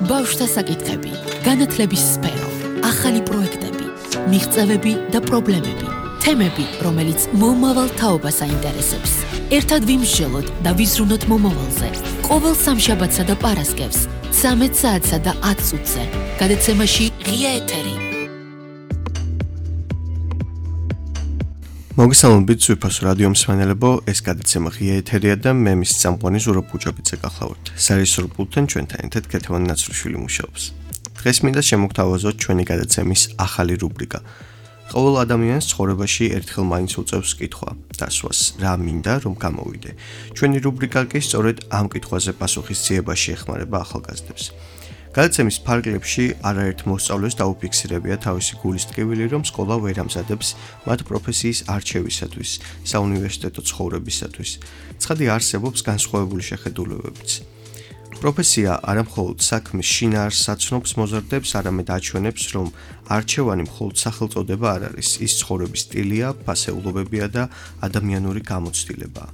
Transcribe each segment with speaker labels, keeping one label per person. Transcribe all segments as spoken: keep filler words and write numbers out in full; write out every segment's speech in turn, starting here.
Speaker 1: ბავშვთა საკითხები, განათლების სფერო, ახალი პროექტები, მიღწევები და პრობლემები, თემები, რომელიც მომავალ თაობას აინტერესებს. ერთად ვიმსჯელოთ და ვიზრუნოთ მომავალზე. ყოველ სამშაბათსა და პარასკევს, ცამეტ საათსა და ათ წუთზე, გადაცემაში ღია ეთერი.
Speaker 2: მოგესალმებით ზურფას რადიო მსმენელებო, ეს გადაცემა ღია ეთერია და მე მის წამყვანი ზურაბ ბუჯაბიძე გახლავართ. სარისორბულთან ჩვენთან ერთად ქეთევან ნაცრუშვილი მუშაობს. დღეს მინდა შემოგთავაზოთ ჩვენი გადაცემის ახალი რუბრიკა. ყოველ ადამიანს ცხოვრებაში ერთხელ მაინც უწევს კითხვა, დასვას, რა მინდა რომ გამოვიდე. ჩვენი რუბრიკა კი სწორედ ამ კითხვაზე პასუხისძიებაში ეხმარება ახალგაზრდებს. გადაცემის ფარგლებში არაერთ მოსწავლეს დაუფიქსირებია თავისი გულის ტკივილი, რომ სკოლა ვერ ამზადებს მათ პროფესიის არჩევისათვის, საუნივერსიტეტო ცხოვრებისათვის. ცხადი არსებობს განსხვავებული შეხედულებებიც. პროფესია არა მხოლოდ საქმის შინაარსს აცნობს მოზარდებს, არამედ აჩვენებს, რომ არჩევანი მხოლოდ სახელწოდება არ არის, ის ცხოვრების სტილია, ფასეულობებია და ადამიანური გამოცდილებაა.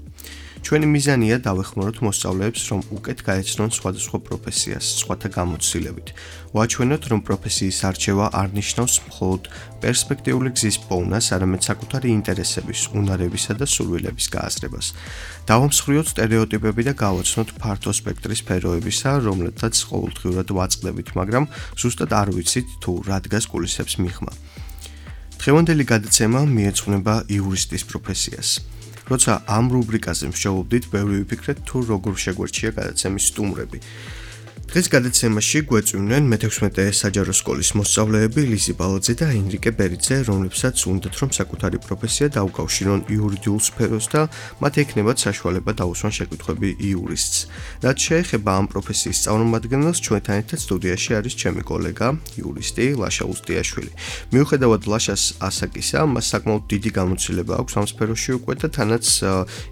Speaker 2: ჩვენი მიზანია დავეხმაროთ მოსწავლეებს, რომ უკეთ გაეცნონ სხვადასხვა პროფესიას, სხვათა გამოცდილებით. ვაჩვენოთ, რომ პროფესიის არჩევა არ ნიშნავს მხოლოდ პერსპექტიული გზის პოვნას, არამედ საკუთარი ინტერესების, უნარებისა და სურვილების გააზრებას. დავამსხვრიოთ სტერეოტიპები და გავაცნოთ ფართო სპექტრის სფეროებისა, რომლეთაც ყოველდღიურად ვაწყდებით, მაგრამ ზუსტად არ ვიცით თუ რა დგას კულისებს მიღმა. დღევანდელი გადაცემა მიეძღვნება იურისტის პროფესიას. როცა ამ რუბრიკაზე მსჯელობდით, ბევრი ვიფიქრეთ თუ როგორ შეგვერჩია გადაცემის სტუმრები. დღეს გადაცემაში გვეწვივნენ მეთექვსმეტე საჯარო სკოლის მოსწავლეები ლიზი ბალაძე და ენრიკე ბერიძე, რომლებსაც უნდათ რომ საკუთარი პროფესია დაუკავშირონ იურიდიულ სფეროს და მათ ექნებათ საშუალება დაუსვან შეკითხვები იურისტს. რაც შეეხება ამ პროფესიის წარმომადგენელს, ჩვენთან ერთად სტუდიაში არის ჩემი კოლეგა, იურისტი ლაშა უსტიაშვილი. მიუხედავად ლაშას ასაკისა, მას საკმაოდ დიდი გამოცდილება აქვს ამ სფეროში უკვე და თანაც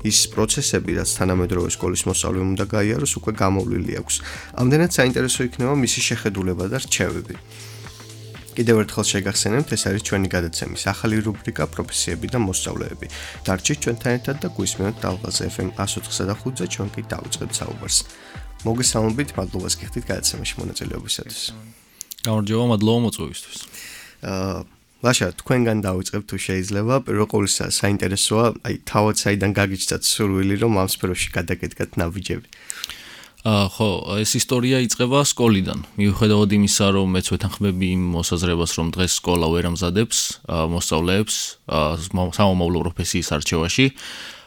Speaker 2: ის პროცესები, რაც თანამედროვე სკოლის მოსწავლემ უნდა გაიაროს, უკვე გამოვლილი აქვს. ამდენად საინტერესო იქნება მისი შეხედულება და რჩევები. კიდევ ერთხელ შეგახსენებთ, ეს არის ჩვენი გადაცემის ახალი რუბრიკა პროფესიები და მოსწავლეები. დარჩით ჩვენთან ერთად და გვისმენთ ტალღაზე ეფ ემ εκατო ოთხსა და ხუთზე, ჩვენ კი დავიწყებთ საუბარს. მოგესალმებით, მადლობას გიხდით გადაცემაში მონაწილეობისათვის.
Speaker 3: გამარჯობა, მადლობა მოწვევისთვის.
Speaker 2: აა ლაშა, თქვენგან დავიწყებთ თუ შეიძლება. პირველ ყოვლისა საინტერესოა, აი თავად საიდან გაგიჩნდათ სურვილი, რომ ამ სფეროში გადაგედგათ ნაბიჯები.
Speaker 3: აა ხო, ეს ისტორია იწყება სკოლიდან. მიუხედავად იმისა, რომ მეც ვეთანხმები იმ მოსაზრებას, რომ დღეს სკოლა ვერ ამზადებს მოსწავლეებს სამომავლო პროფესიის არჩევაში.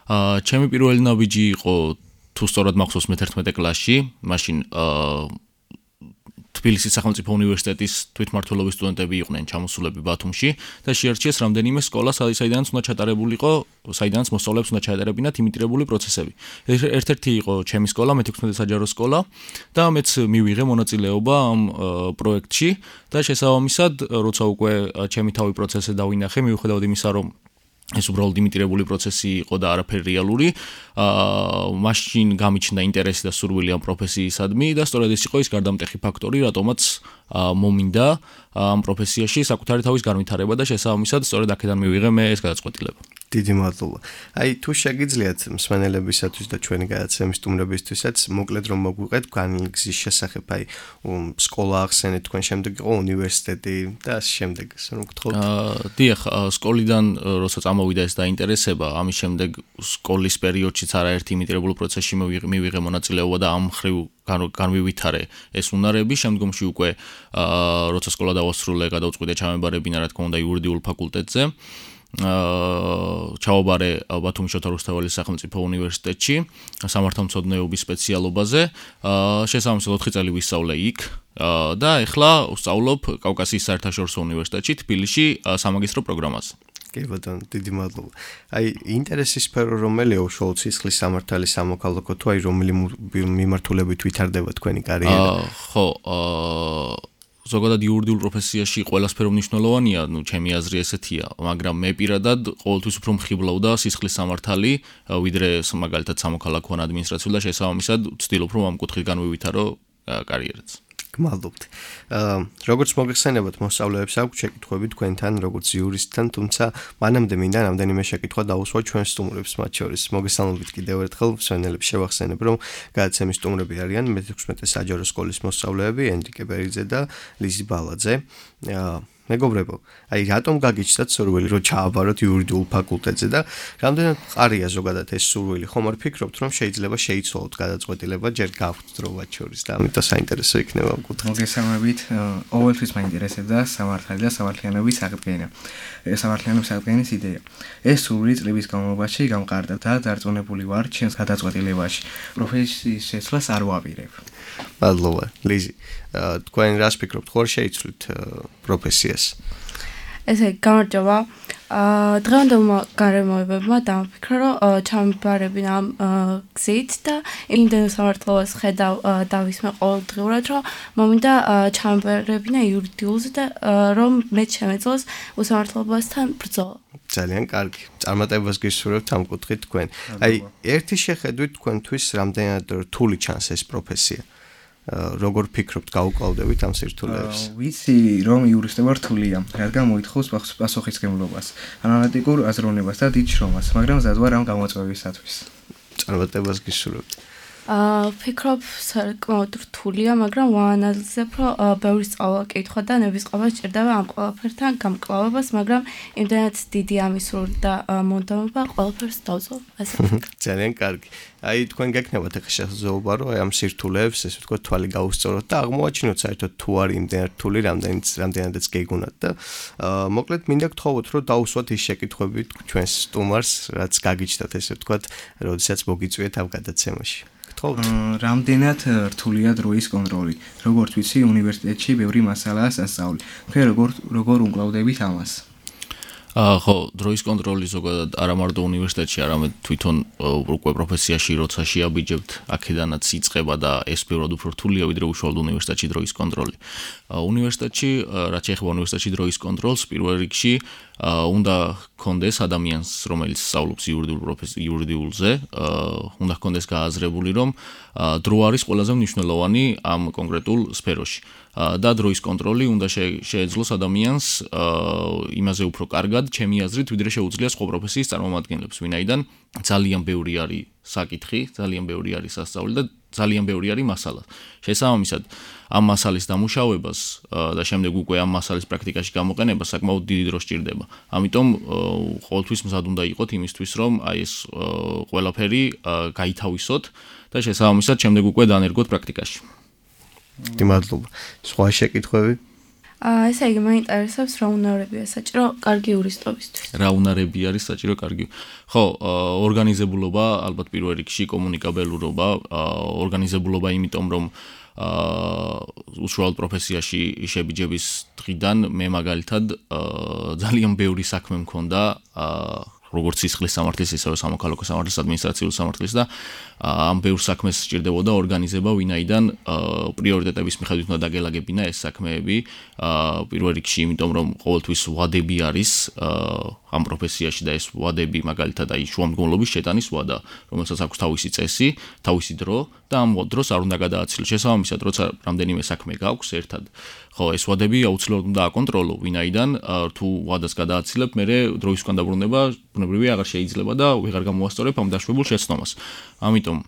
Speaker 3: აა ჩემი პირველი ნაბიჯი იყო, თუ სწორად მახსოვს, მეთერთმეტე კლასში, მაშინ აა თბილისის სახელმწიფო უნივერსიტეტის თვითმმართველობის სტუდენტები იყვნენ ჩამოსულები ბათუმში და შეარჩიეს რამდენიმე სკოლა, საიდანაც უნდა ჩატარებულიყო, საიდანაც მოსწავლეებს უნდა ჩაეტარებინათ იმიტირებული პროცესები. ერთ-ერთი იყო ჩემი სკოლა, მეთექვსმეტე საჯარო სკოლა და მეც მივიღე მონაწილეობა ამ პროექტში და შესაბამისად, როცა უკვე ჩემი თავი პროცესი დავინახე, მიუხედავად იმისა, რომ ეს უბრალოდ იმიტირებული პროცესი იყო და არაფერი რეალური, აა მაშინ გამიჩნდა ინტერესი და სურვილი ამ პროფესიისადმი და სწორედ ეს იყო ის გარდამტეხი ფაქტორი, რატომაც მომინდა ამ პროფესიაში საკუთარი თავის განვითარება და შესაბამისად სწორედ აქედან მივიღე მე ეს გადაწყვეტილება.
Speaker 2: დიდი მადლობა. აი თუ შეგიძლიათ მსმენელებისათვის და ჩვენი გადაცემის სტუმრებისთვისაც მოკლედ რომ მოგვიყეთ განგზის შესახებ, აი სკოლა ახსენეთ, თქვენ შემდეგ იყო უნივერსიტეტი და ამ შემდეგ ასე რომ გთხოვთ.
Speaker 3: აა დიახ, სკოლიდან როცა წამოვიდა ეს დაინტერესება, ამის შემდეგ სკოლის პერიოდშიც არაერთი იმიტირებულ პროცესში მივიღე მონაწილეობა და ამ ხრივ განვივითარე ეს უნარები. შემდგომში უკვე აა როცა სკოლა დავასრულე, გადავწყვიტე ჩამებარებინა, რა თქმა უნდა, იურიდიულ ფაკულტეტზე. აა ჩავაბარე ბათუმის შოთა რუსთაველის სახელმწიფო უნივერსიტეტში სამართალმცოდნეობის სპეციალობაზე. აა შესაბამისად ოთხი წელი ვისწავლე იქ და ეხლა ვსწავლობ კავკასიის საერთაშორისო უნივერსიტეტში თბილისში სამაგისტრო პროგრამას.
Speaker 2: კი ბატონო, დიდი მადლობა. აი ინტერესის სფერო რომელია უშუალოდ სისხლის სამართალი, სამოქალაქო თუ აი რომელი მიმართულებით ვითარდება თქვენი კარიერა?
Speaker 3: აა ხო, აა ზოგადად იურიდიულ პროფესიაში ყველა სფერო მნიშვნელოვანია, ნუ ჩემი აზრი ესეთია, მაგრამ მე პირადად ყოველთვის უფრო მხიბლავდა სისხლის სამართალი, ვიდრე მაგალითად სამოქალაქო ან ადმინისტრაციული და შესაბამისად ვცდილობ რომ ამ კუთხით განვივითარო კარიერაც.
Speaker 2: გმადლობთ. აა როგორც მოგეხსენებათ, მოსწავლეებს აქვს შეკითხვები თქვენთან, როგორც იურისტთან, თუმცა მანამდე მინდა რამდენიმე შეკითხვა დაუსვა ჩვენ სტუმრებს, მათ შორის მოგესალმებით კიდევ ერთხელ მსმენელებს შევახსენებ, რომ გადაცემის სტუმრები არიან მეთექვსმეტე საჯარო სკოლის მოსწავლეები ენრიკე ბერიძე და ლიზი ბალაძე. აა მეგობრებო, აი რატომ გაგიჩნდათ სურვილი რომ ჩააბაროთ იურიდიულ ფაკულტეტზე და რამდენად ყარია ზოგადად ეს სურვილი? ხომ არ ფიქრობთ რომ შეიძლება შეიცვალოთ გადაწყვეტილება ჯერ გაქვთ დრო მათ შორის და ამიტომ საინტერესო იქნება ამ კუთხით.
Speaker 4: მოგესალმებით, ყოველთვის მაინტერესებდა სამართალი და სამართლიანობის აღდგენა. სამართლიანობის აღდგენის იდეა. ეს სურვილი წლების განმავლობაში გამყარდა და დარწმუნებული ვარ ჩემს გადაწყვეტილებაში. პროფესიის შეცვლას არ ვაპირებ.
Speaker 2: მადლობა, ლიზი. თქვენ რას ფიქრობთ, ხომ შეიცვლით პროფესიას?
Speaker 5: ესე გამარჯობა. აა დღევანდელმა გარემოებებმა დამფიქრა, რომ ჩამიბარებინ ამ გზით და იმდენ სამართლობას ხედავ დავისმე ყოველდღიურად, რომ მომინდა ჩამიბარებინა იურიდიულზე და რომ მე შემეძლოს უსამართლობასთან ბრძოლა.
Speaker 2: ძალიან კარგი. წარმატებას გისურვებთ ამ კუთხით თქვენ. აი, ერთი შეხედვით თქვენთვის რამდენად რთული ჩანს ეს პროფესია? როგორ ფიქრობთ, გაუკლავდებით ამ სირთულეებს?
Speaker 4: ვიცი, რომ იურისტობა რთულია, რადგან მოითხოვს პასუხისმგებლობას, ანალიტიკურ აზროვნებას და დიდ შრომას, მაგრამ მზად ვარ ამ გამოწვევისათვის.
Speaker 2: წარმატებას გისურვებთ.
Speaker 5: აა ფიქრობ, საკმაოდ რთულია, მაგრამ ვაანალიზებ, რომ ბევრი სწავლა კითხვა და ნებისყოფა სჭირდება ამ ყველაფერთან გამკლავებას, მაგრამ იმდენად დიდი ამისრული და მონდომება ყველაფერს დავწოვ. ასე ვფიქრობ.
Speaker 2: ძალიან კარგი. აი თქვენ გეკნებათ ახლა შესაძლებლობა რომ აი ამ სირთულეებს ესე ვთქვათ თვალი გაუსწოროთ და აღმოაჩინოთ საერთოდ თუ არის იმდენად რთული, რამდენიც რამდენადაც გეგუნათ და მოკლედ მინდა გთხოვოთ რომ დაუსვათ ის შეკითხვები ჩვენს სტუმარს, რაც გაგიჩნდათ ესე ვთქვათ, როდესაც მოგიწვიეთ ამ გადაცემაში.
Speaker 4: რამდენად რთულია დროის კონტროლი. როგორც ვიცი, უნივერსიტეტში ბევრი მასალაა სასწავლი. თქვენ როგორ როგორ უმკლავდებით ამას?
Speaker 3: აა ხო, დროის კონტროლი ზოგადად არა მარტო უნივერსიტეტში, არამედ თვითონ უკვე პროფესიაში როცა შეაბიჯებთ, აქედანაც იწყება და ეს ბევრად უფრო რთულია, ვიდრე უშუალოდ უნივერსიტეტში დროის კონტროლი. უნივერსიტეტში, რაც ეხება უნივერსიტეტში დროის კონტროლს, პირველ რიგში უნდა კონდეს ადამიანს, რომელიც სწავლობს იურიდიულ იურიდიულზე, უნდა კონდეს გააზრებული, რომ დრო არის ყველაზე მნიშვნელოვანი ამ კონკრეტულ სფეროში. და დროის კონტროლი უნდა შეეძლოს ადამიანს იმაზე უფრო კარგად, ჩემი აზრით, ვიდრე შეუძლია სხვა პროფესიის წარმომადგენლებს, ვინაიდან ძალიან ბევრი არის საკითხი, ძალიან ბევრი არის სასწავლი და ძალიან ბევრი არის მასალა. შესაბამისად, ამ მასალის დამუშავებას და შემდეგ უკვე ამ მასალის პრაქტიკაში გამოყენებას საკმაოდ დიდი დრო სჭირდება. ამიტომ ყოველთვის მზად უნდა იყოთ იმისთვის, რომ აი ეს ყველაფერი გაითავისოთ და შესაბამისად შემდეგ უკვე დაანერგოთ პრაქტიკაში.
Speaker 2: მადლობა. სხვა შეკითხვები?
Speaker 5: აა ესე იგი მაინტერესებს რა უნარებია საჭირო კარგი იურისტობისთვის.
Speaker 3: რა უნარები არის საჭირო კარგი? ხო, ორგანიზებულობა, ალბათ პირველ რიგში კომუნიკაბელურობა, ორგანიზებულობა იმიტომ რომ აა უშუალოდ პროფესიაში შებიჯების დღიდან მე მაგალითად ძალიან ბევრი საქმე მქონდა აა როგორც სისხლის სამართლის, ისევე სამოქალაქო სამართლის, ადმინისტრაციული სამართლის და ამ ბევრ საქმეს სჭირდებოდა ორგანიზება, ვინაიდან პრიორიტეტების მიხედვით უნდა დაგელაგებინა ეს საქმეები. პირველ რიგში, იმიტომ რომ ყოველთვის ვადები არის ამ პროფესიაში და ეს ვადები მაგალითად აი შუამდგომლობის შეტანის ვადა, რომელსაც აქვს თავისი წესი, თავისი დრო და ამ დროს არ უნდა გადააცილოს. შესაბამისად, როცა რამდენიმე საქმე გაქვს ერთად, ხო, ეს ვადები აუცილებლად უნდა აკონტროლო, ვინაიდან თუ ვადას გადააცილებ, მერე დროის უკან დაბრუნება ბუნებრივია აღარ შეიძლება და ვეღარ გამოასწორებ ამ დაშვებულ შეცდომას. ამიტომ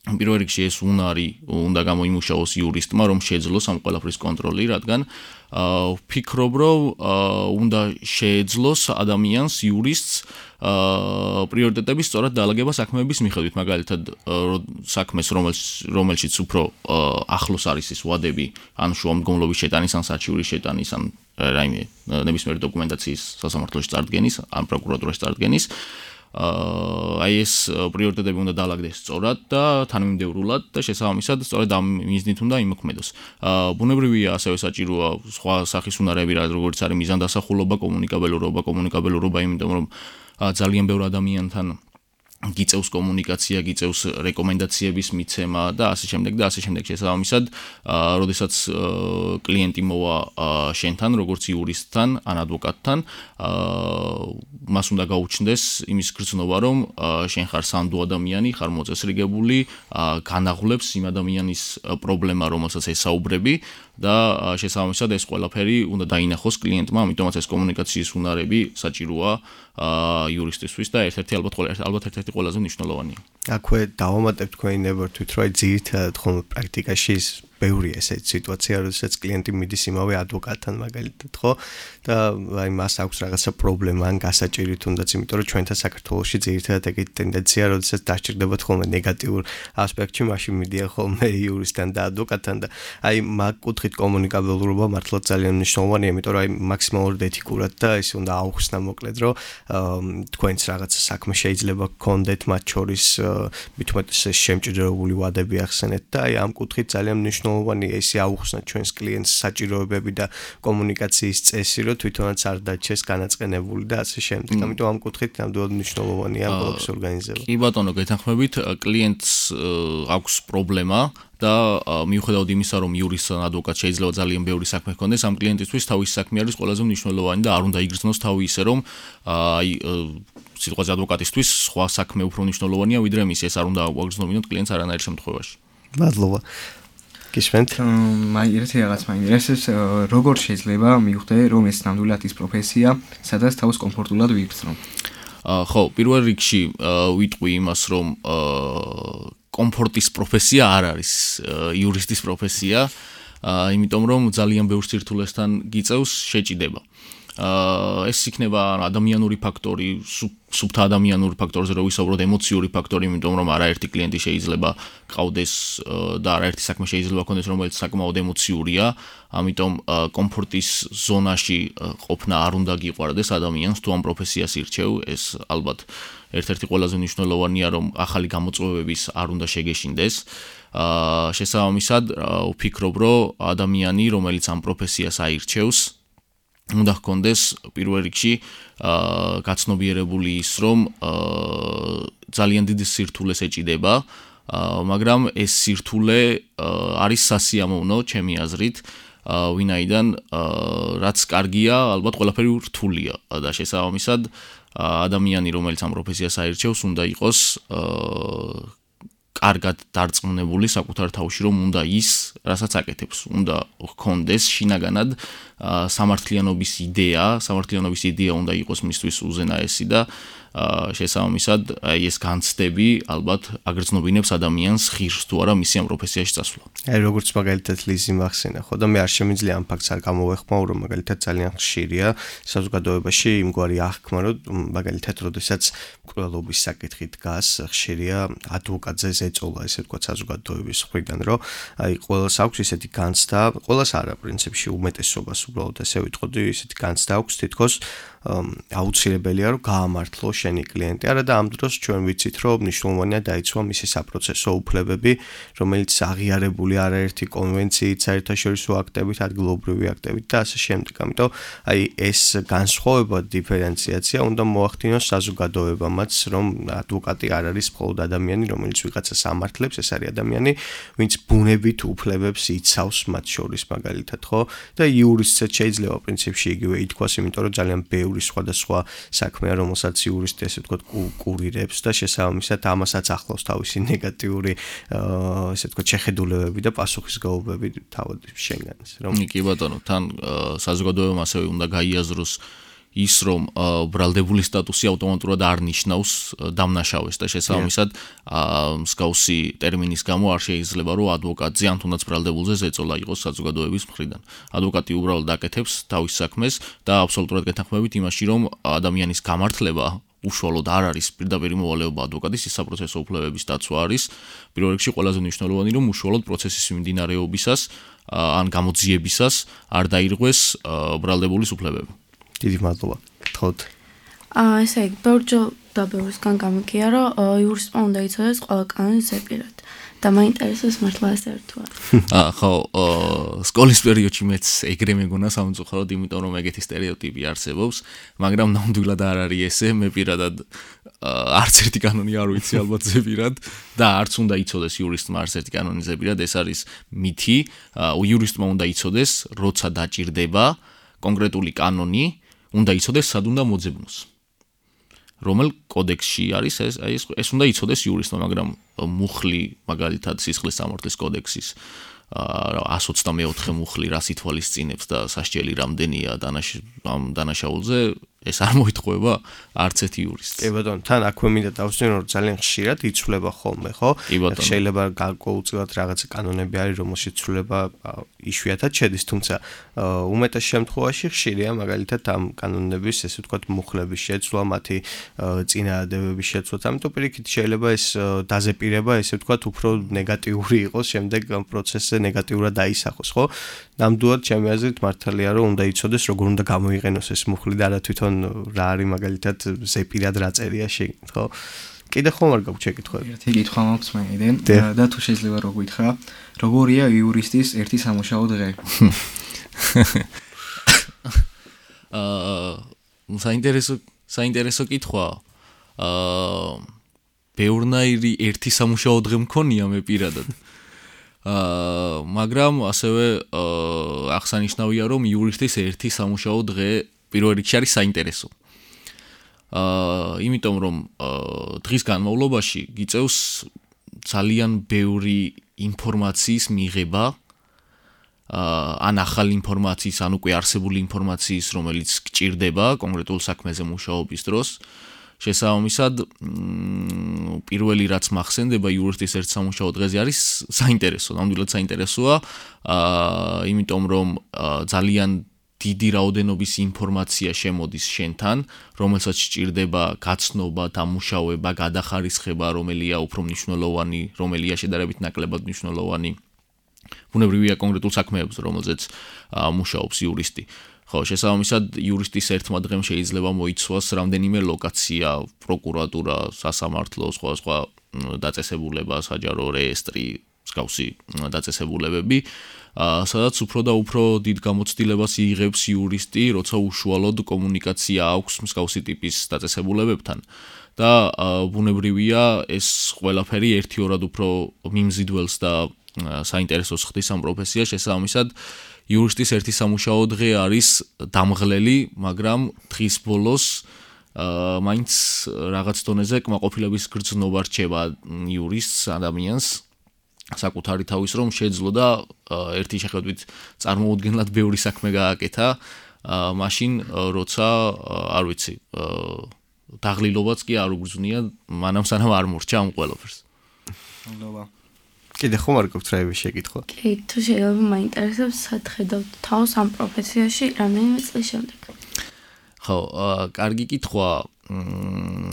Speaker 3: პირველ რიგში ეს უნარი უნდა გამოიმუშაოს იურისტმა, რომ შეეძლოს ამ ყველაფრის კონტროლი, რადგან ვფიქრობ, რომ უნდა შეეძლოს ადამიანს, იურისტს პრიორიტეტების სწორად დაალაგება საქმეების მიხედვით, მაგალითად საქმეს, რომელშიც უფრო ახლოს არის ეს ვადები, ან შუამდგომლობის შეტანის, ან საჩივრის შეტანის, ან რაიმე ნებისმიერი დოკუმენტაციის სასამართლოში წარდგენის, ან პროკურატურაში წარდგენის, აი ეს პრიორიტეტები უნდა დაალაგდეს სწორად და თანმიმდევრულად და შესაბამისად სწორედ ამ მიზნით უნდა იმოქმედოს. ბუნებრივია ასევე საჭიროა სხვა სახის უნარები, როგორც არის მიზანდასახულობა, კომუნიკაბელურობა, კომუნიკაბელურობა, იმიტომ რომ ძალიან ბევრ ადამიანთან გიწევს კომუნიკაცია, გიწევს რეკომენდაციების მიცემა და ასე შემდეგ და ასე შემდეგ. შესაბამისად, როდესაც კლიენტი მოვა შენთან, როგორც იურისტთან ან ადვოკატთან, მას უნდა გაუჩნდეს იმის გრძნობა, რომ შენ ხარ სანდო ადამიანი, ხარ მოწესრიგებული, განაღლებს იმ ადამიანის პრობლემა, რომელსაც ესაუბრები და შესაბამისად ეს ყველაფერი უნდა დაინახოს კლიენტმა, ამიტომაც ეს კომუნიკაციის უნარები საჭიროა იურისტისთვის და ერთ-ერთი ალბათ ალბათ ერთ-ერთი ყველაზე მნიშვნელოვანია.
Speaker 2: აქვე დავამატებ თქვენი ნებართვით, რომ ძირითადად ხომ პრაქტიკაში ბევრია ესეთი სიტუაცია, როდესაც კლიენტი მიდის იმავე ადვოკატთან მაგალითად, ხო? და აი მას აქვს რაღაცა პრობლემა ან გასაჭირი თუნდაც, იმიტომ რომ ჩვენთან საქართველოში ძირითადად ეგეთი ტენდენცია, როდესაც დაჭირდებათ ხოლმე ნეგატიურ ასპექტში, მაშინ მიდიან ხოლმე იურისტთან და ადვოკატთან და აი მაგ კუთხით კომუნიკაბელურობა მართლაც ძალიან მნიშვნელოვანია, იმიტომ რომ აი მაქსიმალურად ეთიკურად და ის უნდა აუხსნა მოკლედ, რომ თქვენც რაღაცა საქმე შეიძლება გქონდეთ მათ შორის მithumetes შემჭიდროებული ვადები ახსენეთ და აი ამ კუთხით ძალიან მნიშვნელოვანია ისე აუხსნათ ჩვენს კლიენტს საჭიროებები და კომუნიკაციის წესი, რომ თვითონაც არ დაჩეს განაწყენებული და ასე შემდეგ. ამიტომ ამ კუთხით ნამდვილად მნიშვნელოვანია ყველაფრის ორგანიზება.
Speaker 3: კი ბატონო, გეთანხმებით, კლიენტს აქვს პრობლემა და მიუხედავად იმისა, რომ იურისტთან ადვოკატს შეიძლება ძალიან ბევრი საქმე ჰქონდეს, ამ კლიენტისთვის თავის საქმე არის ყველაზე მნიშვნელოვანი და არ უნდა იგრძნოს თავი ისე, რომ აი სიტყვაზე ადვოკატისთვის სხვა საქმე უფრო მნიშვნელოვანია, ვიდრე მის ეს არ უნდა აგვაგრძნობინოთ კლიენტს არანაირ შემთხვევაში.
Speaker 2: მადლობა. გისმენთ?
Speaker 4: მაი ერთი რაღაც მაინტერესებს, როგორ შეიძლება მივხვდე, რომ ეს ნამდვილად ის პროფესია, სადაც თავს კომფორტულად ვიბრძნო?
Speaker 3: ხო, პირველ რიგში ვიტყვი იმას, რომ კომფორტის პროფესია არ არის იურისტის პროფესია, იმიტომ რომ ძალიან ბევრ სირთულესთან გიწევს შეჭიდება. ეს იქნება ადამიანური ფაქტორი, სუბთა ადამიანური ფაქტორზე რო ვისაუბროთ, ემოციური ფაქტორი, იმიტომ რომ არაერთი კლიენტი შეიძლება ყავდეს და არაერთი საქმე შეიძლება ქონდეს, რომელიც საკმაოდ ემოციურია, ამიტომ კომფორტის ზონაში ყოფნა არ უნდა გიყვარდეს ადამიანს, თუ ამ პროფესიას ირჩევ, ეს ალბათ ერთ-ერთი ყველაზე მნიშვნელოვანია, რომ ახალი გამოწვევების არ უნდა შეგეშინდეს. შესაბამისად, ვფიქრობ, რომ ადამიანი, რომელიც ამ პროფესიას აირჩევს, უნდა ჰქონდეს პირველ რიგში გაცნობიერებული ის, რომ ძალიან დიდი სირთულეს ეჭიდება, მაგრამ ეს სირთულე არის სასიამოვნო, ჩემი აზრით, ვინაიდან რაც კარგია, ალბათ ყველაფერი რთულია და შესაბამისად ადამიანი, რომელიც ამ პროფესიას აირჩევს, უნდა იყოს კარგად დარწმუნებული საკუთარ თავში, რომ უნდა ის, რასაც აკეთებს, უნდა ჰქონდეს შინაგანად სამართლიანობის იდეა, სამართლიანობის იდეა უნდა იყოს მისთვის უზენაესი და შესაბამისად აი ეს განცდები ალბათ აგრძნობინებს ადამიანს ღირს თუ არა მისი ამ პროფესიაში წასვლა.
Speaker 2: აი როგორც მაგალითად ლიზი მახსენა, ხო და მე არ შემიძლია ამ ფაქტს არ გამოვეხმაურო, რომ მაგალითად ძალიან ხშირია საზოგადოებაში იმგვარი აღქმა, რომ მაგალითად როდესაც მკვლელობის საკითხი დგას, ხშირია ადვოკატზე ზეწოლა, ესე ვთქვათ, საზოგადოების მხრიდან, რომ აი ყველას აქვს ისეთი განცდა, ყველას არა პრინციპში უმეტესობას უბრალოდ ესე ვიტყოდი, ისეთი განცდა აქვს თითქოს აუცილებელია რომ გაამართლო შენი კლიენტი. არა და ამ დროს ჩვენ ვიცით რომ მნიშვნელოვანია დაიცვა მისი საპროცესო უფლებები, რომელიც აღიარებული არაერთი კონვენციით, საერთაშორისო აქტებით, ადგილობრივი აქტებით და ასე შემდეგ. ამიტომ აი ეს განსხვავება, დიფერენციაცია უნდა მოახდინოს საზოგადოებამაც, რომ ადვოკატი არ არის მხოლოდ ადამიანი, რომელიც ვიღაცას ამართლებს, ეს არის ადამიანი, ვინც ბუნებით უფლებებს იცავს მათ შორის მაგალითად, ხო? და იურისტსაც შეიძლება პრინციპში იგივე ითქვას, იმიტომ რომ ძალიან ბევრი სხვადასხვა საქმეა, რომელსაც იურისტი ესე ვთქვათ კურირებს და შესაბამისად ამასაც ახლავს თავისი ნეგატიური ესე ვთქვათ შეხედულებები და პასუხისგებლობები თავად შენგანს, რომ
Speaker 3: კი ბატონო, თან საზოგადოებამ ასევე უნდა გაიაზროს ის, რომ ბრალდებული სტატუსი ავტომატურად არ ნიშნავს დამნაშავეს და შესაბამისად მსგავსი ტერმინის გამო არ შეიძლება რომ ადვოკატზე ან თუნდაც ბრალდებულზე ზეწოლა იყოს საზოგადოების მხრიდან. ადვოკატი უბრალოდ აკეთებს თავის საქმეს და აბსოლუტურად გეთანხმებით იმაში, რომ ადამიანის გამართლება უშუალოდ არ არის პირდაპირ მოვალეობა ადვოკატის, ის საპროცესო უფლებების დაცვა არის. პირველ რიგში ყველაზე მნიშვნელოვანი, რომ უშუალოდ პროცესის მიმდინარეობისას ან გამოძიებისას არ დაირღვეს ბრალდებულის უფლებები.
Speaker 2: დიდი მადლობა. თქოთ.
Speaker 5: აა ესე იგი, ბევრჯერ და ბევრისგან გამიგია, რომ იურისტმა უნდა იცოდეს ყველა კანონის ზეპირად. და მაინტერესებს მართლა ეს ერთუა.
Speaker 3: აა ხო, სკოლის პერიოდში მეც ეგრე მეგონა სამწუხაროდ, იმიტომ რომ ეგეთი სტერეოტიპი არსებობს, მაგრამ ნამდვილად არ არის ესე, მე პირადად არც ერთი კანონი არ ვიცი ალბათ ზებირად და არც უნდა იცოდეს იურისტმა არც ერთი კანონი ზებირად, ეს არის მითი, იურისტმა უნდა იცოდეს, როცა დაჭირდება კონკრეტული კანონი, უნდა იცოდეს სად უნდა მოძებნოს. რომელ კოდექსში არის ეს, ეს ეს უნდა იცოდეს იურისტმა, მაგრამ მუხლი მაგალითად სისხლის სამართლის კოდექსის one twenty-four მუხლი რას ითვალისწინებს და სასჯელი რამდენია ამ დანაშაულზე, ეს არ მოითხოვება არც ერთი იურისტს.
Speaker 2: კი ბატონო, თან აქვე მინდა დავსვენ, რომ ძალიან ხშირად იცვლება ხოლმე, ხო? შეიძლება გარკვეულწილად რაღაცა კანონები არის, რომელშიც ცვლილება იშვიათად შედის, თუმცა უმეტეს შემთხვევაში ხშირია მაგალითად ამ კანონების, ესე ვთქვათ, მუხლების შეცვლა, მათი წინააღმდეგობის შეცვლა. ამიტომ პირიქით შეიძლება ეს დაზეპირება, ესე ვთქვათ, უფრო ნეგატიური იყოს, შემდეგ ამ პროცესზე ნეგატიურად დაისახოს, ხო? ნამდვილად ჩემი აზრით მართალია, რომ უნდა იცოდეს, როგორ უნდა გამოიყენოს ეს მუხლი და რა თვითონ რა არის მაგალითად ზეპირად რა წერია შეგნით, ხო? კიდე ხომ არ გაქვს შეკითხვები?
Speaker 4: ერთი კითხვა მაქვს მეიდან და თუ შეიძლება რო გითხრა, როგორია იურისტის ერთი სამუშაო დღე?
Speaker 3: აა საინტერესო საინტერესო კითხვა. აა ბევრნაირი ერთი სამუშაო დღე მქონია მე პირადად. აა მაგრამ ასევე აღსანიშნავია, რომ იურისტის ერთი სამუშაო დღე პირველ რიგში არის საინტერესო. აა იმიტომ რომ დღის განმავლობაში გიწევს ძალიან ბევრი ინფორმაციის მიღება, აა ან ახალი ინფორმაციის, ან უკვე არსებული ინფორმაციის, რომელიც გჭირდება კონკრეტულ საქმეზე მუშაობის დროს. შესაბამისად, პირველი რაც მახსენდება იურისტის ერთ სამუშაო დღეზე არის საინტერესო, ნამდვილად საინტერესოა, აა იმიტომ რომ ძალიან დიდი რაოდენობის ინფორმაცია შემოდის შენთან, რომელსაც სჭირდება გაცნობა, დამუშავება, გადახარისხება, რომელია უფრო მნიშვნელოვანი, რომელია შედარებით ნაკლებად მნიშვნელოვანი. ბუნებრივია კონკრეტულ საქმეებზე, რომელზეც მუშაობს იურისტი. ხო, შესაბამისად, იურისტის ერთმა დღემ შეიძლება მოიცვას რამდენიმე ლოკაცია, პროკურატურა, სასამართლო, სხვა სხვა დაწესებულება, საჯარო რეესტრი, მსგავსი დაწესებულებები, სადაც უფრო და უფრო დიდ გამოცდილებას იღებს იურისტი, როცა უშუალოდ კომუნიკაცია აქვს მსგავსი ტიპის დაწესებულებებთან. და ბუნებრივია, ეს ყველაფერი ერთიორად უფრო მიმზიდველს და საინტერესოს ხდის ამ პროფესიას, შესაბამისად, იურისტის ერთი სამუშაო დღე არის დამღლელი, მაგრამ დღის ბოლოს აა მაინც რაღაც დონეზე კმაყოფილების გრძნობა რჩება იურისტს, ადამიანს საკუთარი თავის რომ შეძლო და ერთი შეხედვით წარმოუდგენლად ბევრი საქმე გააკეთა, მაშინ როცა არ ვიცი, დაღლილობაც კი არ უგრძნია, მანამ სანამ არ მორჩა ამ ყველაფერს.
Speaker 4: მადლობა.
Speaker 2: კიდე ხომ არ გაქვს რაიმე შეკითხვა?
Speaker 5: კი, თუ შეიძლება მაინტერესებს, სად ხედავთ თავს ამ პროფესიაში რამდენიმე წლის შემდეგ?
Speaker 3: ხო, კარგი კითხვა.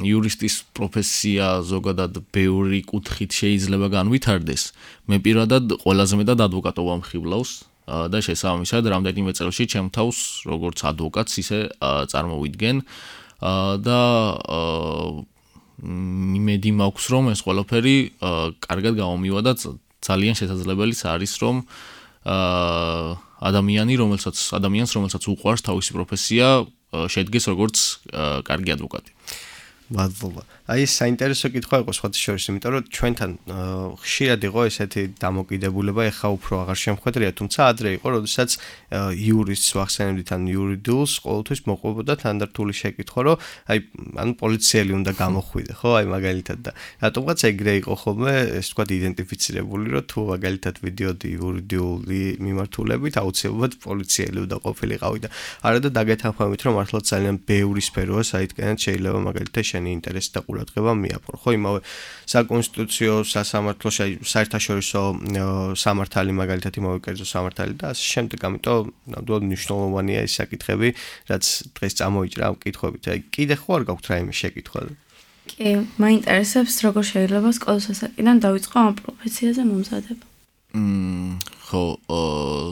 Speaker 3: იურისტის პროფესია ზოგადად ბევრი კუთხით შეიძლება განვითარდეს. მე პირადად ყველაზე მეტად ადვოკატობა მხიბლავს და შესაბამისად რამდენიმე წელში ჩემ თავს როგორც ადვოკატს ისე წარმოვიდგენ და იმედი მაქვს რომ ეს ყველაფერი კარგად გამომივა და ძალიან შესაძლებელიც არის რომ ადამიანი რომელსაც ადამიანს რომელსაც უყვარს თავისი პროფესია შედგეს როგორც კარგი ადვოკატი.
Speaker 2: მადლობა. აი ეს საინტერესო კითხვა იყო სხვათა შორის, იმიტომ რომ ჩვენთან ხშირად იყო ესეთი დამოკიდებულება, ეხა უფრო აღარ შემხვედრია, თუმცა ადრე იყო, როდესაც იურისტს ვახსენებდით ან იურიდიულს ყოველთვის მოყვებოდა თანდართული შეკითხვა, რომ აი ანუ პოლიციელი უნდა გამოხვიდე, ხო, აი მაგალითად და რატომღაც ეგრე იყო ხოლმე, ეს თქვა იდენტიფიცირებული, რომ თუ მაგალითად ვიდიოდი იურიდიული მიმართულებით, აუცილებლად პოლიციელი უნდა ყოფილიყავი და არადა დაგეთანხმებით, რომ მართლა ძალიან ბევრი სფეროა, საიდანაც შეიძლება მაგალითად შენი ინტერესი და ყურადღება მიაპყრო, ხო, იმავე საკონსტიტუციო, სასამართლო, საერთაშორისო სამართალი მაგალითად იმავე კერძო სამართალი და ასე შემდეგ, ამიტომ ნამდვილად მნიშვნელოვანია ეს საკითხები, რაც დღეს წამოიჭრა ამ კითხვებით. აი, კიდე ხო არ გაქვთ რაიმე შეკითხვა?
Speaker 5: კი, მაინტერესებს, როგორ შეიძლება სკოლის ასაკიდან დავიწყო ამ პროფესიაზე მომზადება.
Speaker 3: მმ, ხო,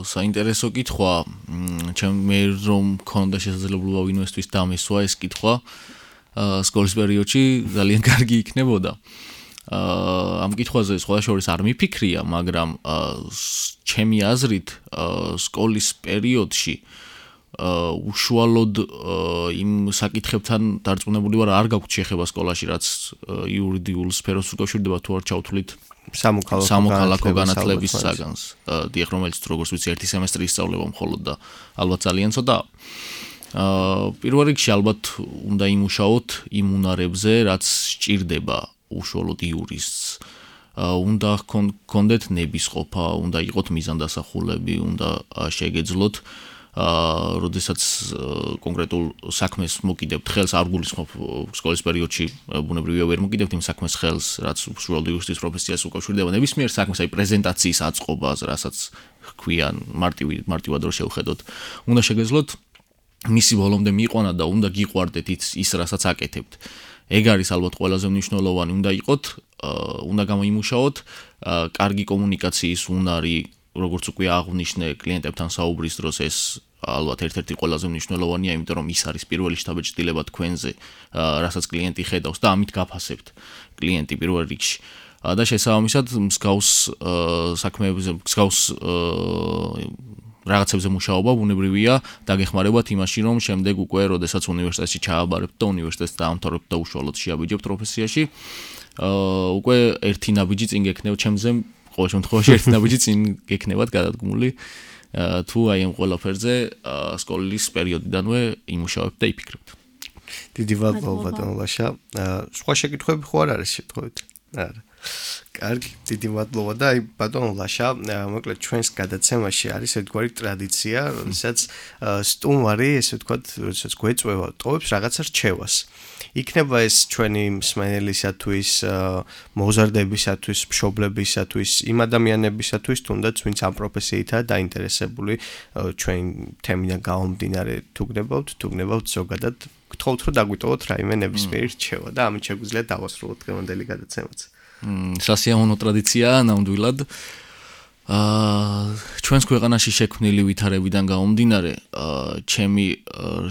Speaker 3: საინტერესო კითხვა, ჩემ მე რომ მქონდა შესაძლებლობა ვინმესთვის დამესვა ეს კითხვა. სკოლის პერიოდში ძალიან კარგი იქნებოდა. ამ კითხვაზე სხვა შორის არ მიფიქრია, მაგრამ ჩემი აზრით სკოლის პერიოდში უშუალოდ იმ საკითხებთან დარწმუნებული ვარ, არ გაგვთ შეხება სკოლაში, რაც იურიდიულ სფეროს უკავშირდება თუ არ ჩავთვლით სამოქალაქო განათლების საგანს. დიახ, რომელიც როგორც ვიცი, ერთი სემესტრი ისწავლება მხოლოდ და ალბათ ძალიან ცოტაა. პირველ რიგში ალბათ უნდა იმუშაოთ იმ უნარებზე, რაც სჭირდება უშუალოდ იურისტს. უნდა გქონდეთ ნებისყოფა, უნდა იყოთ მიზანდასახულები, უნდა შეგეძლოთ როდესაც კონკრეტულ საქმეს მოკიდებთ ხელს, არ გულისხმობ სკოლის პერიოდში ბუნებრივია ვერ მოკიდებთ იმ საქმეს ხელს, რაც უშუალოდ იურისტის პროფესიას უკავშირდება. ნებისმიერ საქმეს, აი პრეზენტაციის აწყობას, რასაც ჰქვია მარტივი მარტივად რო შევხედოთ, უნდა შეგეძლოთ მისი ბოლომდე მიიყვანა და უნდა გიყვარდეთ ის, რასაც აკეთებთ. ეგ არის ალბათ ყველაზე მნიშვნელოვანი, უნდა იყოთ, უნდა გამოიმუშაოთ კარგი კომუნიკაციის უნარი, როგორც უკვე აღვნიშნე კლიენტებთან საუბრის დროს ეს ალბათ ერთ-ერთი ყველაზე მნიშვნელოვანია, იმიტომ რომ ის არის პირველი შთაბეჭდილება თქვენზე, რასაც კლიენტი ხედავს და ამით გაფასებთ კლიენტი პირველ რიგში. და შესაბამისად მსგავს საქმეებზე, მსგავს რაღაცებზე მუშაობა ბუნებრივია დაგეხმარებათ იმაში, რომ შემდეგ უკვე როდესაც უნივერსიტეტში ჩააბარებთ და უნივერსიტეტს დაამთავრებთ და უშუალოდ შეაბიჯებთ პროფესიაში, უკვე ერთი ნაბიჯი წინ გექნებათ ჩემზე, ყოველ შემთხვევაში ერთი ნაბიჯი წინ გექნებათ გადადგმული, თუ აი ამ ყველაფერზე სკოლის პერიოდიდანვე იმუშავებთ და იფიქრებთ.
Speaker 2: დიდი მადლობა ბატონო ლაშა. სხვა შეკითხვები ხო არ არის შეთხოვეთ? არა. კარგი, დიდი მადლობა და აი ბატონო ლაშა, მოკლედ ჩვენს გადაცემაში არის ერთგვარი ტრადიცია, როდესაც სტუმარი, ესე ვთქვათ, როდესაც გვეწვევა, ტოვებს რაღაცა რჩევას. იქნება ეს ჩვენი მსმენელისათვის, მოზარდებისათვის, მშობლებისათვის, იმ ადამიანებისათვის, თუნდაც ვინც ამ პროფესიითაა დაინტერესებული, ჩვენ თემიდან გამომდინარე თუ გნებავთ, თუ გნებავთ ზოგადად, გთხოვთ რომ დაგვიტოვოთ რაიმე ნებისმიერი რჩევა და ამით შეგვიძლია დავასრულოთ დღევანდელი გადაცემაც.
Speaker 3: სასიამოვნო ტრადიციაა ნამდვილად. ჩვენს ქვეყანაში შექმნილი ვითარებიდან გამომდინარე, ჩემი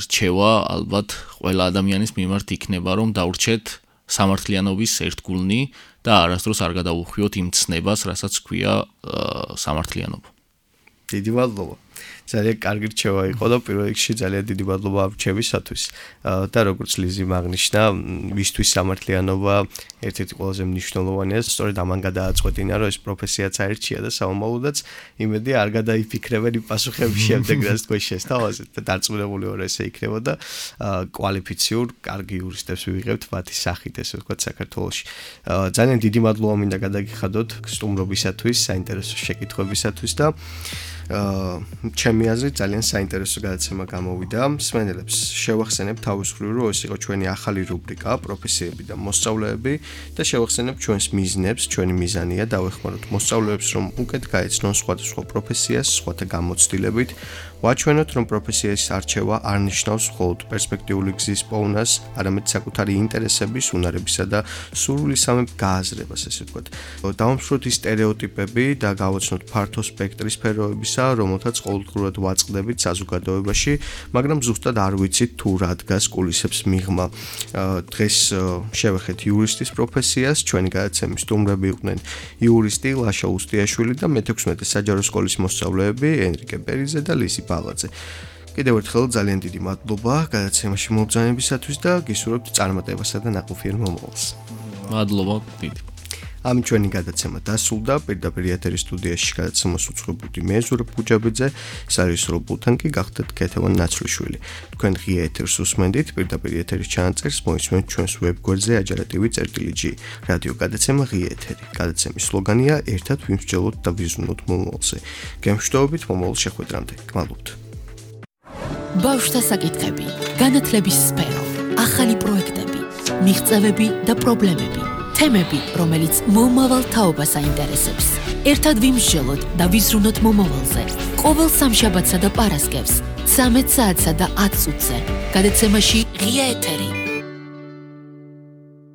Speaker 3: რჩევა ალბათ ყველა ადამიანის მიმართ იქნება, რომ დავრჩეთ სამართლიანობის ერთგულნი და არასდროს არ გადავუხვიოთ იმ ცნებას, რასაც ჰქვია სამართლიანობა.
Speaker 2: დიდი მადლობა. ძალიან კარგი რჩევა იყო და პირველ რიგში ძალიან დიდი მადლობა ამ რჩევისათვის. და როგორც ლიზი აღნიშნა, ვისთვის სამართლიანობა ერთ-ერთი ყველაზე მნიშვნელოვანია, სწორედ ამან გადააწყვეტინა, რომ ეს პროფესიაც აერჩია და სამომავლოდაც იმედი არ გადაიფიქრებენ იმ პასუხების შემდეგ, რაც თქვენ შესთავაზეთ და დარწმუნებული ვარ ესე იქნება და კვალიფიციურ, კარგი იურისტებს ვიღებთ მათი სახით, ესე ვთქვათ, საქართველოში. ძალიან დიდი მადლობა მინდა გადაგიხადოთ სტუმრობისათვის, საინტერესო შეკითხვებისათვის და ჩემი აზრით ძალიან საინტერესო გადაცემა გამოვიდა. მსმენელებს შევახსენებ თავის მხრივ, რომ ეს იყო ჩვენი ახალი რუბრიკა პროფესიები და მოსწავლეები და შევახსენებ ჩვენს მიზნებს. ჩვენი მიზანია დავეხმაროთ მოსწავლეებს, რომ უკეთ გაეცნონ სხვადასხვა პროფესიას, სხვათა გამოცდილებით, ვაჩვენოთ, რომ პროფესიის არჩევა არ ნიშნავს მხოლოდ პერსპექტიული გზის პოვნას, არამედ საკუთარი ინტერესების, უნარებისა და სურვილისამებრ გააზრებას, ესე ვთქვათ. დავამსხვროთ ის სტერეოტიპები და გავაცნოთ ფართო სპექტრი სფეროებისა, რომელთაც ყოველდღურად ვაწყდებით საზოგადოებაში, მაგრამ ზუსტად არ ვიცით თუ რა დგას კულისებს მიღმა. დღეს შევეხეთ იურისტის პროფესიას, ჩვენი გადაცემის სტუმრები იყვნენ იურისტი ლაშა უსტიაშვილი და მეთექვსმეტე საჯარო სკოლის მოსწავლეები ენრიკე პერიძე და ლიზი ბალაძე. კიდევ ერთხელ ძალიან დიდი მადლობა გადაცემაში მომბრძანებისათვის და გისურვებთ წარმატებასა და ნაყოფიერ მომავალს.
Speaker 3: მადლობა დიდი.
Speaker 2: ამით ჩვენი გადაცემა დასრულდა. პირდაპირ ეთერის სტუდიაში გადაცემას უწყობდი მე ზურაბ გუჯაბიძე, სარისრო ბულთანკი გახდათ კეთევან ნაცვლიშვილი. თქვენ ღია ეთერს უსმენდით, პირდაპირ ეთერის ჩანაწერს მოისმენთ ჩვენს ვებგვერდზე ajarativi წერტილი ჯი. რადიო გადაცემა ღია ეთერი. გადაცემის სლოგანია ერთად ვიმსჯელოთ და ვიზრუნოთ მომავალზე. გემშვიდობით მომავალ შეხვედრამდე. გმადლობთ.
Speaker 1: ბავშვთა საკითხები, განათლების სფერო, ახალი პროექტები, მიღწევები და პრობლემები. თემები, რომელიც მომავალ თაობას აინტერესებს. ერთად ვიმსჯელოთ და ვიზრუნოთ მომავალზე. ყოველ სამშაბათსა და პარასკევს, ცამეტ საათსა და ათ წუთზე. გადაცემაში ღია ეთერი.